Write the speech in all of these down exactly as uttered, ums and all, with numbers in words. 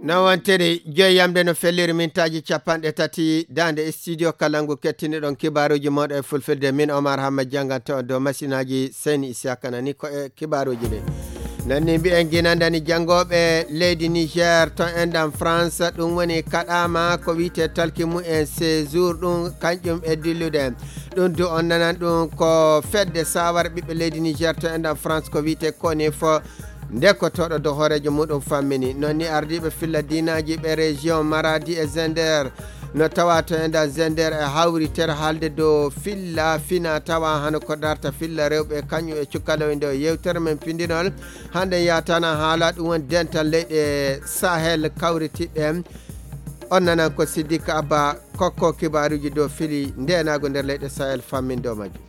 No wontiri joyi yamde no felliri mintaaji capanɗe tati daande studio Kalangu kettiniɗon kibaaruuji mooɗon e fulfilde. Min Omar Hamma jannganto on dow masinaaji Seyni Isiyaka nani ko e kibaaruuji ɗi. Nanni mbiyen ginandani janngooɓe leydi Niger to enɗam France, ɗum woni kaɗaama ko wiyte talki mumen séjour ɗum kañƴum e dillude. Ɗum du on nanan ɗum ko fedde sawar ɓiɓɓe leydi Niger to enɗam France ko wiyte koni fo nde ko toɗo do hooreejo muɗum fammini. Noon ni ardiiɓe filla diinaaji ɓe région Maradi e Zender no tawa to enɗam Zender e hawritere haalde dow filla fina tawa hano ko darta filla rewɓe kañum e cukalawɓe nde o yewtere men pindinol. Hannde yatana haala ɗum woni dental leyɗe Sahel kawritiɗe. On nanan ko Siddiq Abba kokko kibaaruuji dow fili ndeenaagu nder leyɗe Sahel fammin dow majjum.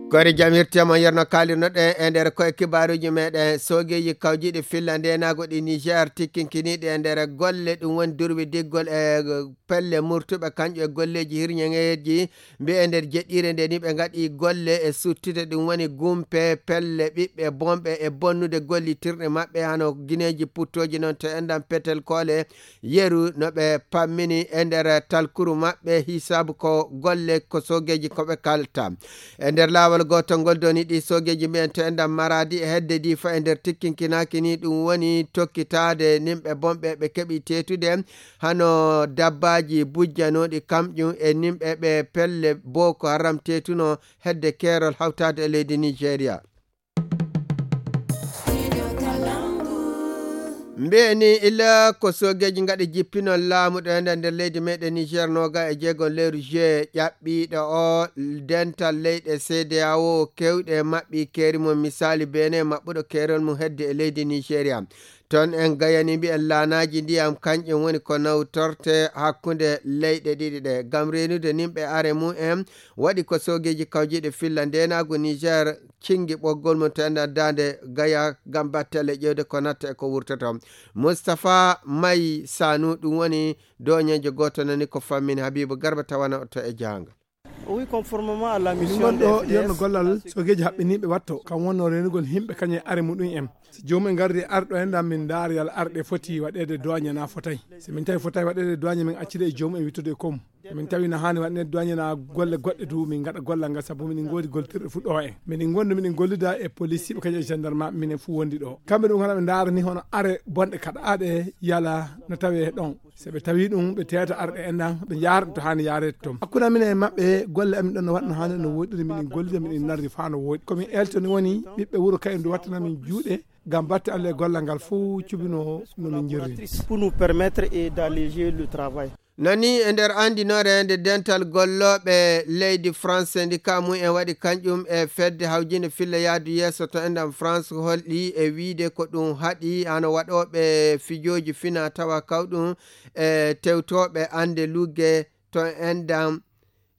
Kori jam hirtiyama yerno kaalirnoɗen e nder koye kibaaruuji meɗen. Soogeeji kawjiiɗi filla ndeenaagu ɗi Niger tikkinkiniiɗi e nder golle ɗum woni durwi diggol e pelle murtuɓe kañƴum e golleeji hirñeŋeeji mbiye nder jeɗɗiire nde ni ɓe ngaɗi golle e suttude ɗum woni gumpe pelle ɓiɓɓe bonɓe e bonnude gollitirɗe maɓɓe hano gineeji puttooji noon to enɗam petel koole yeru no ɓe pammini e nder talkuru maɓɓe hisaabu ko golle ko soogeeji ko ɓe kalta. E nder laawol gootol ngol doni ɗi soogeeji mbiyen to enɗam Maradi e hedde Difa e nder tikkinkinaaki ni ɗum woni tokkitaade nimɓe bonɓe ɓe keɓi teetude hano dabbaaji bujjanooɗi kamƴum e nimɓe ɓe pelle Boko Haram teetuno hedde keerol hawtaade e leydi Nigeria. Mbiye ni ila ko soogeeji ngaɗi jippinol laamu ɗo enda nder leydi meɗen Niger noga e jeego lewru juillet ƴaɓɓiiɗo o dental leyɗe C D A O kewɗe maɓɓi keeri mum misali Benin maɓɓuɗo keerol mum hedde e leydi Nigeria. Toon en gayani mbiyen laanaaji ndiyam kañƴum woni ko nawtorte hakkunde leyɗe ɗiɗi ɗe ngam reenude nimɓe are mum en. Waɗi ko soogeeji kawjiiɗe filla ndeenaagu Niger cinngi ɓoggol mum to enɗan daande gaya ngam battelle ƴeewde ko natta e ko wurtoto. Mustapha May Sanu ɗum woni dooñeejo gooto nani ko fammini Habibu Garba tawana o to e jaanga. Min ngon ɗo yerno gollal soogeeji haɓɓiniiɓe watto kam wonno reenugol himɓe kañum e are muɗum en. Si joomum en ngardi arɗo en ɗan min ndaara yalla arɗe foti waɗeede doñe na fotay. Si min tawi fotay waɗeede doñe min accida e joomum en wittude e komu. Min tawi no haani waɗeede doñe na golle goɗɗe du min ngaɗa gollal ngal sabu min ngoodi goltirɗe fuɗɗo en. Min ngondi min gollida e polisiiɓe kañum e gendarme minen fu wondi ɗo. Kamɓe ɗum hana ɓe ndaara ni hono are bonɗe kaɗaaɗe yala no tawe ɗon. So ɓe tawi ɗum ɓe teeta arɓe en ɗan ɓe njaara ɗum to haani yaareede toon. Hakkunde amin e maɓɓe golle amin ɗon no waɗno haani no woɗɗiri miɗen gollida miɗen narri faa no woɗɗi. Komin elto ni woni ɓiɓɓe wuro kayen du wattana min juuɗe ngam batte Allah e gollal ngal fof cubino no min jirri. Pour nous permettre et d'alléger le travail. Nani e nder andinoore nde dental gollooɓe leydi France syndicat mum en waɗi kañƴum e fedde hawjinde filla yaadu yeeso to enɗam France holɗi e wiide ko ɗum haɗi hano waɗooɓe fijooji fina tawa kawɗum e tewtooɓe annde lugge to enɗam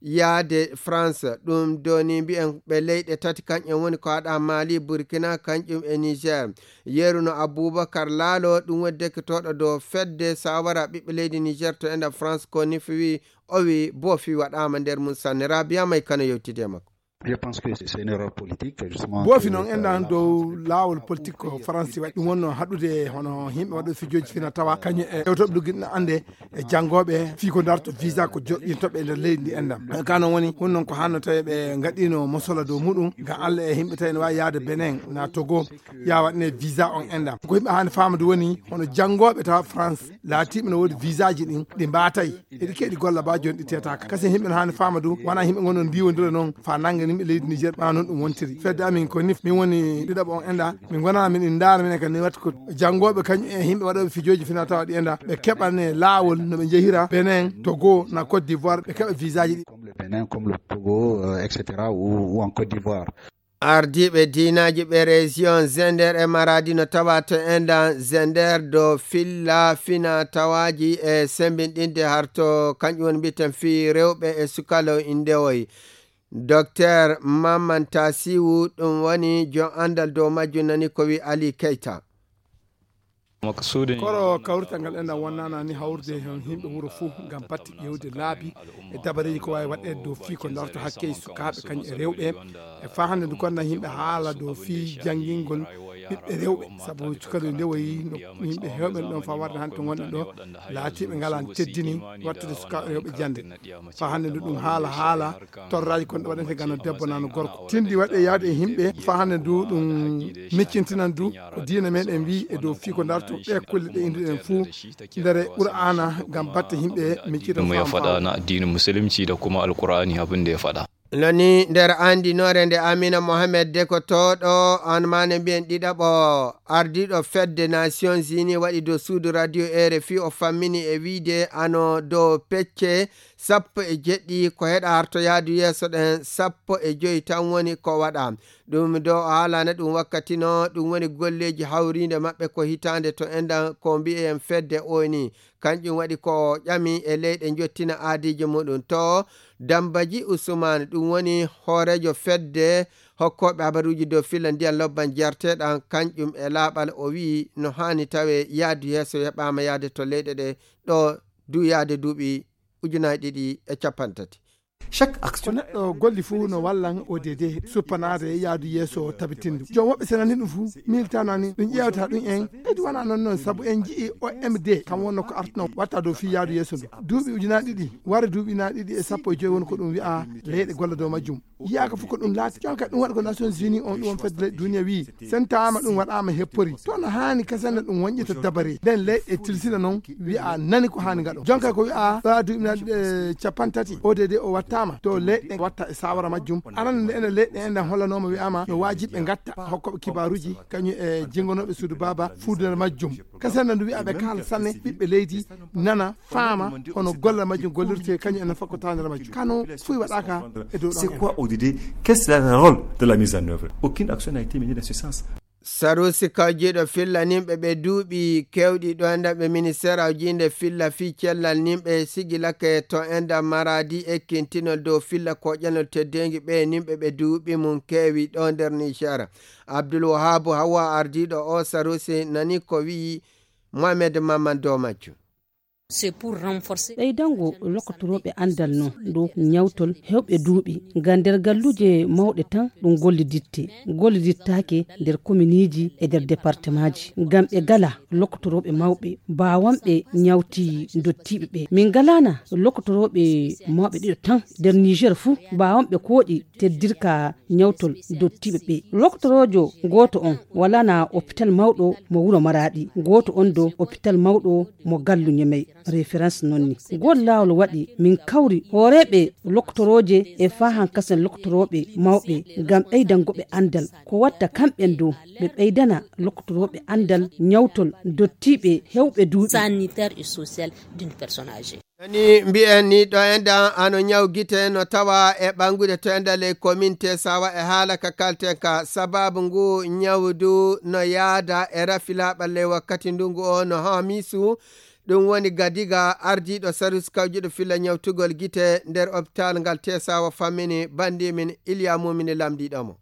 yaade France. Ɗum doni mbiyen ɓe leyɗe tati kañƴen woni ko haɗa Mali, Burkina kañƴum e Niger. Yeruno Abubakar Laalo ɗum woni dekkitooɗo dow fedde sawara ɓiɓɓe leydi Niger to enɗam France ko nifi wi o wi boofi waɗaama nder mum sanne. Rabia May Kano yewtidi e makko. Je pense que c'est une erreur politique, justement. Boofi noon enɗan dow laawol politique ko Faransi waɗi ɗum wonno haɗude hono yimɓe waɗo fijooji fina tawa kañum e tewtoɓe luggiɗno annde e janngooɓe fii ko darto visa ko joɗɗintoɓe e nder leydi ndi enɗan. Ka noon woni hun noon ko hanno tawi ɓe ngaɗino mosola dow muɗum ngam Allah e yimɓe tawi ne waawi yaade Benin na Togo ya waɗne visa on enɗan. Ko yimɓe haani faamadu woni hono janngooɓe tawa France laatiiɓe no woodi visa ji ɗin ɗi mbaatay. Eɗi keɗi golla ba joni ɗi teetaka. Kasi yimɓe no haani faama du, wona yimɓe ngon no ndiwondira noon fa nanga yimɓe leydi Niger, ɓa noon ɗum wontiri. Fedde amin ko nif, min woni ɗiɗaɓo on enɗa, min gona min ndaara minen kan ni watta ko janngooɓe kañum e yimɓe waɗooɓe fijooji fina tawa ɗi enɗa, ɓe keɓane laawol no ɓe njehira Benin, Togo, na Côte d'Ivoire, ɓe keɓa visa ji ɗi. Comme le Bénin, comme le Togo, euh, et cetera, ou, ou en Côte d'Ivoire. Ardiiɓe diinaaji ɓe région Zender e Maradi no tawa to enɗan Zender do filla fina tawaaji e sembinɗinde harto kañƴum woni mbiten fii rewɓe e sukalo indewoy. Docteur Maman Tasiwu ɗum woni jon anndal dow majjum nani ko wi Ali Keita. Koro kawrital ngal enɗan wonnana ni hawrude heen yimɓe wuro fof ngam batte ƴeewde laabi e dabareeji ko waawi waɗeede dow fii ko darto hakke sukaaɓe kañum e rewɓe. E faa hannde ndu gonnaa yimɓe haala dow fii janngingol ɓiɓɓe rewɓe, sabu cukalel nde wayi no yimɓe heewɓe ɗoon faa warde hannde to ngonɗen ɗo laatiiɓe ngalaa teddini wattude sukaaɓe rewɓe jannde. Faa hannde ndu ɗum haala haala torraaji kon ɗo waɗante gana debbo nano gorko. Tindi waɗe yaade e yimɓe faa hannde ndu ɗum miccintinan du ko diina meɗen wi e dow fii ko darto ɗe kulle ɗe indiɗen fuu ndere Qur'aana ngam batte yimɓe miccita ɗum e faama faɗa faama. Na diinu musulunci da kuma alkur'ani abin da ya faɗa. Nani nder andinoore nde Amina Mohamed Deko tooɗo an mane mbiyen ɗiɗaɓo ardiiɗo fedde Nations Unies waɗi dow suudu radio R F I o fammini e wiide ano dow pecce sappo e jeɗɗi ko heɗa harto yaadu yeeso ɗen sappo e joyi tan woni ko waɗa. Ɗum dow o haalana ɗum wakkati no ɗum woni golleeji hawriinde maɓɓe ko hitaande to enɗan ko mbi'en fedde O N U. Kanƴum waɗi ko ƴami e leyɗe njottina aadiiji muɗum to Dambaji Usman, ɗum woni hooreejo fedde hokkooɓe habaruuji dow filla ndiyan lobban jarteeɗan, kanƴum e laaɓal o wi'i no haani tawe yaadu yeeso heɓaama yaade to leyɗe ɗe ɗo du yaade duuɓi ujunaaji ɗiɗi e cappanɗe tati. Chaque ko action neɗɗo golli fuu no wallan O D D suppanaade yaadu yeeso tabitinde joom woɓɓe senani ɗum fuu miltanani ɗum ƴeewta ɗum en kadi wona noon noon sabu en nji'i O M D kam wonno ko artuno watta dow fii yaadu yeeso ndu duuɓi ujunaaji ɗiɗi wara duuɓi ujunaaji ɗiɗi e sappo e joyi woni ko ɗum wi'a leyɗe golla dow majjum. Yiyaaka fof ko ɗum laati jonka ɗum waɗa ko Nations Unies on ɗum on fedde leyɗe duniya wi sentaama ɗum waɗaama heppori to no haani kasana ɗum wonƴita dabare nden leyɗe tilsina noon wi'a nani ko haani ngaɗo jonka ko wi'a ɗo a duuɓi ujunaaji ɗiɗi e cappanɗe tati O D D o wattaama to leyɗe watta e sawara majjum. Arana nde ene leyɗe enɗan hollanooma wi'aama no waajibi ɓe ngatta hokkooɓe kibaaruuji kañum e jingonooɓe suudu baaba fuudunar majjum. Kasana ndu wi'a ɓe kaala sanne ɓiɓɓe leydi nana faama hono gollal majjum gollirte kañum ene fakko tawandere majjum kano fuy waɗaaka. E dow c'est quoi O D D? Qu'est-ce que le rôle de la mise en œuvre? Aucune action n'a été menée dans ce sens. Sarusi kawjiiɗo filla nimɓe ɓe duuɓi kewɗi ɗo enɗan ɓe ministeer awjiinde filla fii cellal nimɓe sigilake to enɗan maraadi ekkintinol dow filla koƴanol teddeengi ɓe nimɓe ɓe duuɓi mum keewi ɗo nder Niger. Abdul Wahabu Hawa ardiiɗo o sarusi nani ko wi'i Mohamed Maman dow majjum. Ɓeydango lokkotorooɓe anndal non dow ñawtol heewɓe duuɓi ngam nder galluuje mawɗe tan ɗum golliditte gollidittaake nder kominiiji e nder departemaaji ngam ɓe ngala lokkotorooɓe mawɓe mbaawanɓe ñawti ndottiiɓe ɓe min ngalaana lokkotorooɓe mawɓe ɗiɗo tan nder niger fuu mbaawanɓe kooƴi teddirka ñawtol dottiiɓe ɓe. Loktoroojo gooto on walana oppital mawɗo mo wuro Maraaɗi, gooto on do oppital mawɗo mo Gallu Ñemey. Reference non ni. Ngol laawol waɗi min kawri hooreeɓe loktorooje e faahan kasen loktorooɓe mawɓe ngam ɓeydango ɓe anndal ko watta kamɓen do ɓe ɓeydana loktorooɓe anndal ñawtol dottiiɓe heewɓe duuɓi. Sanitaire et social d'une personne âgée. Nani mbi'en ni ɗo enɗan ano ñaw gite no tawa e ɓanngude to enɗan ley komin Tesawa e haala ka kalten ka sababu ngu ñawdu no yaada e rafi laaɓal ley wakkati ndungu o no haamisu. Ɗum woni Gadiga ardiiɗo sarus kawjuɗo filla ñawtugol gite nder opitaal ngal Tesawa fammini banndimin Iliya Mumini lamndiiɗo mo.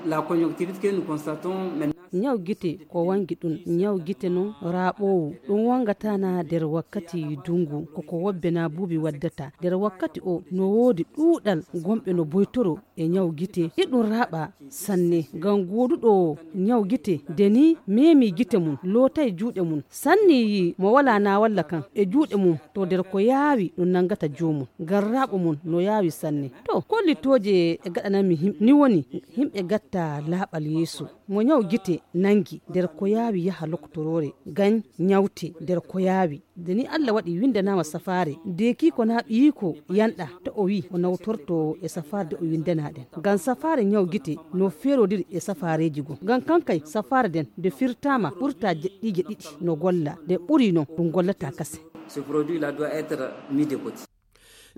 La conjonctivite que nous constatons maintenant. Ñaw gite ko wangi ɗum ñaw gite noon raaɓoowu ɗum wangataa na nder wakkati ndungu koko wobbe na buubi waddata nder wakkati o no woodi ɗuuɗal gomɓe no boytoro e ñaw gite iɗum raaɓa sanne ngam gooduɗo ñaw gite nde ni meemi gite mum lootay juuɗe mum sanni yi mo walaa na walla kan e juuɗe mum to nder ko yaawi ɗum nanngata joomum ngam raaɓo mum no yaawi sanne. To kollitooje e gaɗananmi yimɓe ni woni yimɓe gatta laaɓal yeeso mo ñaw gite nanngi nder ko yaawi yaha lokotoroore gañ ñawte nder ko yaawi nde ni Allah waɗi winndanaama safaare deekiiko naa ɓiyiiko yanɗa to o wii o nawtorto e safaare de o winndanaa ɗen ngam safaare ñaw gite no feerodiri e safaareeji goo ngam kankay safaare nden nde firtaama ɓurtaa jeɗɗiije ɗiɗi no golla nde ɓuri non ɗum gollataa kasen. Ce produit là doit être mis de côté.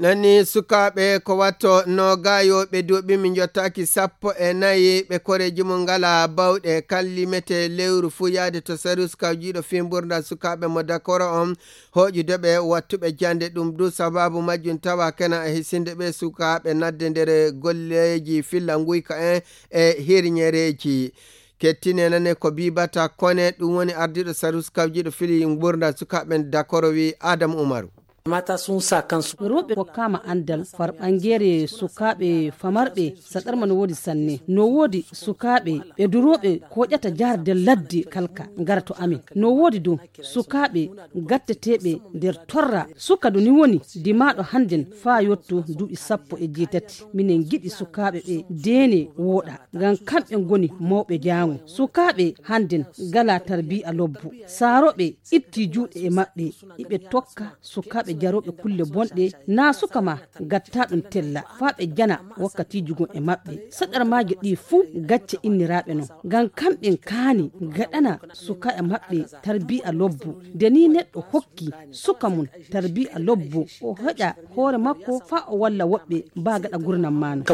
Nani sukaaɓe ko watto no gaayooɓe duuɓi min jottaaki sappo e nayi ɓe koreeji mum ngala bawɗe kan limete lewru fuu yaade to sarus kawjiiɗo fii mburdal sukaaɓe mo dakoro on hooƴude ɓe wattuɓe jannde ɗum du sababu majjum tawa kena e hisinde ɓe sukaaɓe nadde nder golleeji filla nguyka en e hirñereeji. Kettine nane ko Bibata Kone, ɗum woni ardiiɗo sarus kawjiiɗo fili ngurdan sukaaɓe ɓen Dakoro, wi Adam Umaru. Mata sun sa kansu. Rewɓe kokkaama anndal farɓangeere sukaaɓe famarɓe saɗarma no woodi sanne. No woodi sukaaɓe ɓe durooɓe koƴata jaarde ladde kalka ngara to amin. No woodi du sukaaɓe gatteteeɓe nder torra. Suka du ni woni dimaaɗo hannden faa yotto duuɓi sappo e jeetati. Minen ngiɗi sukaaɓe ɓe deene wooɗa. Ngam kamɓe ngoni mawɓe jaango. Sukaaɓe hannden ngalaa tarbiya lobbo. Saarooɓe ittii juuɗe e maɓɓe, iɓe tokka sukaaɓe jarooɓe kulle bonɗe, naa suka ma gattaaɗum tella, faa ɓe jana wakkatiiji gon e maɓɓe. Saɗarmaaji ɗi fuu gacce inniraaɓe non. Ngam kamɓen kaani gaɗana sukaaɓe maɓɓe tarbiya lobbo. Nde nii neɗɗo hokki suka mum tarbiya lobbo, o heƴa hoore makko faa o walla woɓɓe baa gaɗa gurnam maano.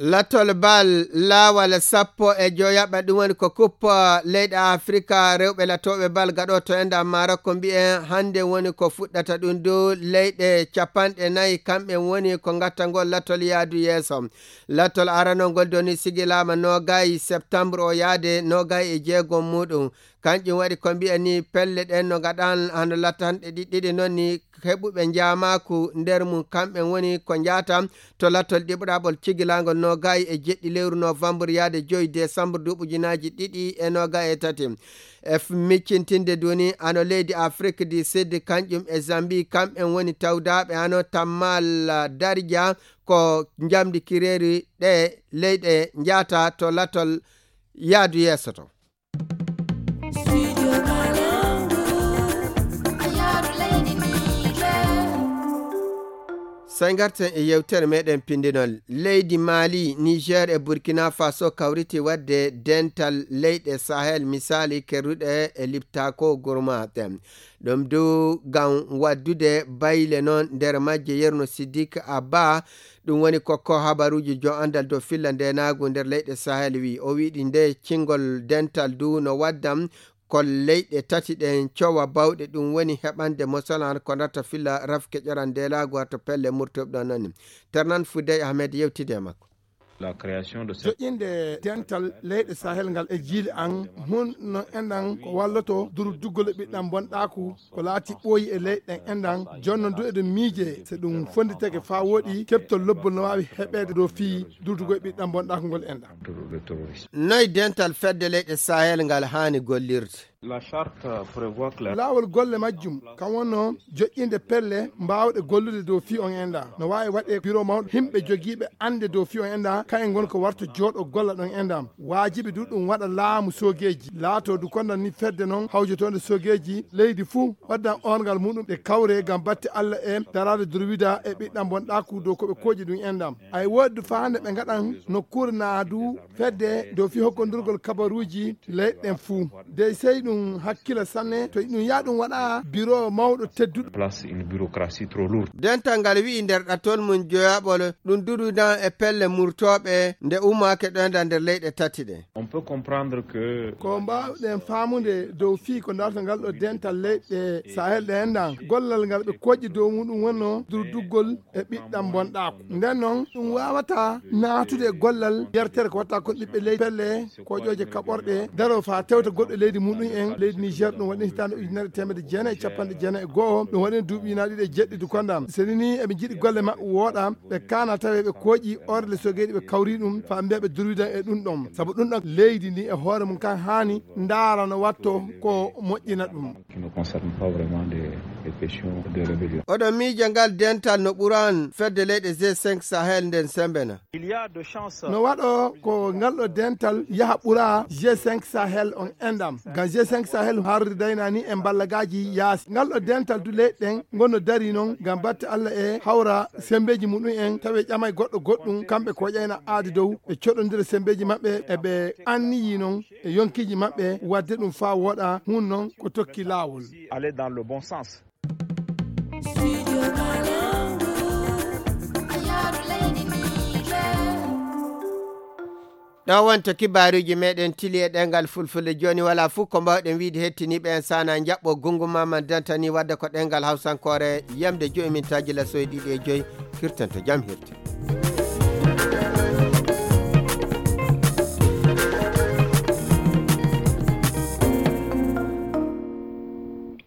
Latol bal laawal sappo e joyaɓa, ɗum woni ko kuppa leyɗe Afrika rewɓe latooɓe bal gaɗo to enda Maroko mbi'en hannde woni ko fuɗɗata ɗum dow leyɗe capanɗe nayi, kamɓe woni ko gattangol latol yaadu yeeso. Latol aranol ngol doni sigilaama nogayi septembre o yaade nogayi e jeegom muɗum. Kanƴum waɗi ko mbiya ni pelle ɗen no gaɗan hano latanɗe ɗiɗɗiɗi non ni heɓuɓe njaamaaku nder mum kamɓen woni ko njaata to latol ɗiɓɗaɓol cigilaangol nogayi e jeɗɗi lewru novembre yaade joyi décembre duuɓi ujunaaji ɗiɗi e nogayi e tati. E f- miccintinde duni ano leydi Afrique du Sud kanƴum e Zambie kamɓen woni tawdaaɓe ano tammal darja ko njamdi kireeri ɗe leyɗe njaata to latol yaadu yeeso to. Sey ngarten e yewtere meɗen pindinol. Leydi Mali, Niger e Burkina Faso kawriti wadde dental leyɗe Sahel, misali kerruɗe e liptako gurmaten. Ɗum du ngam waddude bayle non nder majje yerno Siddiq Abba. Ɗum woni ko ko habaruuji jo anndal dow filla ndeenaagu nder leyɗe Sahel wi. O wiɗi nde cingol dental du no waddam ko leyɗe tati ɗen cowa bawɗe, ɗum woni heɓande mosalan ko ndatta filla rafke ƴoran ndeelaagu wato pelle murtoɓe ɗon nani. Ternan Fudey Ahmed yewtide e makko. La création de cette joƴƴinde dental leyɗe Sahel ngal e jiili an hun no enɗan ko walloto durduggol e ɓiɗɗan bonɗaaku ko laati ɓooyi e leyɗe ɗen enɗan. Jonno du eɗen miije so ɗum fonnditake faa wooɗi keɓtol lobbol no waawi heɓeede dow fii durdugo e ɓiɗɗan bonɗaaku ngol enɗan. Noy dental fedde leyɗe Sahel ngal haani gollirde? La charte prévoit que la laawol golle majjum kan wonno joƴƴinde pelle mbaawɗe gollude dow fii on enɗan no waawi waɗe biro mawɗo himɓe jogiiɓe annde dow fii on enɗan kan e ngon ko warta jooɗo golla ɗon enɗan. Waajibi du ɗum waɗa laamu soogeeji laato du kondan ni fedde non hawjotoonde soogeeji leydi fuu waddan orngal muɗum ɗe kawre ngam batte Allah e daraade durwida e ɓiɗɗan bonɗaaku dow ko ɓe kooƴi ɗum enɗan. Ay woodi du faa hannde ɓe ngaɗan nokkuure naa du fedde dow fii hokkondurgol kabaruuji leyɗe ɗen fuu. Dey sey ɗum hakkila sanne to ɗum yaa ɗum waɗa biro mawɗo tedduɗo. Place une bureaucratie trop lourde. Dental ngal wi'i nder ɗatol mum joyaɓol ɗum durudan e pelle murtooɓe nde ummaake ɗoyda nder leyɗe tati ɗe. On peut comprendre que ko mbaawɗen faamude dow fii ko darta ngal ɗo dental leyɗe Sahel ɗe enɗan gollal ngal ɓe koƴƴi dow muɗum wonno durduggol e ɓiɗɗan bonɗaaku. Nden noon ɗum waawata naatude e gollal yertere ko watta kon ɓiɓɓe leydi pelle koƴooje kaɓorɗe daro faa tewta goɗɗo leydi muɗum en leydi Niger. Ɗum waɗi hitaande ujunere teemedde jeenayi e capanɗe jeenayi e go'o, ɗum waɗi duuɓi ujunaaji ɗiɗi e jeɗɗi du kondan. Seni ni eɓe njiɗi golle maɓɓe wooɗa ɓe kaana tawe ɓe kooƴi orle sogeeɗi ɓe kawri ɗum faa mbiya ɓe durwidan e ɗum ɗon sabu ɗum ɗon leydi ndi e hoore mum kan haani ndaara no watto ko moƴƴina ɗum. Qui ne concerne pas vraiment des, des questions de rébellion. Oɗon miija ngal dental no ɓuran fedde leyɗe G cinq Sahel nden sembena. Il y a de chance. No waɗo ko ngal ɗo dental yaha ɓura G cinq Sahel on enɗam. Ngam G cinq Sahel harri daynani e mballagaaji yaasi. Ngal ɗo dental du leyɗe ɗen ngonno dari non ngam batte Allah e hawra sembeeji muɗum en tawi ƴamay goɗɗo goɗɗum kamɓe ko ƴayna aadi dow ɓe coɗondira sembeeji maɓɓe e ɓe anniyi non e yonkiiji maɓɓe, waɗde ɗum faa wooɗa, hun non ko tokki laawol. Aller dans le bon sens. Ɗo wonto kibaaruuji meɗen tili e ɗengal fulfulde. Jooni wala fuu ko mbawɗen wiide hettiniiɓe en sana njaɓɓo gungu ma man dantani wadde ko ɗengal hawsankoore yamde joyi min taji lasoy ɗiɗi e joyi. Kirten to jam hirti.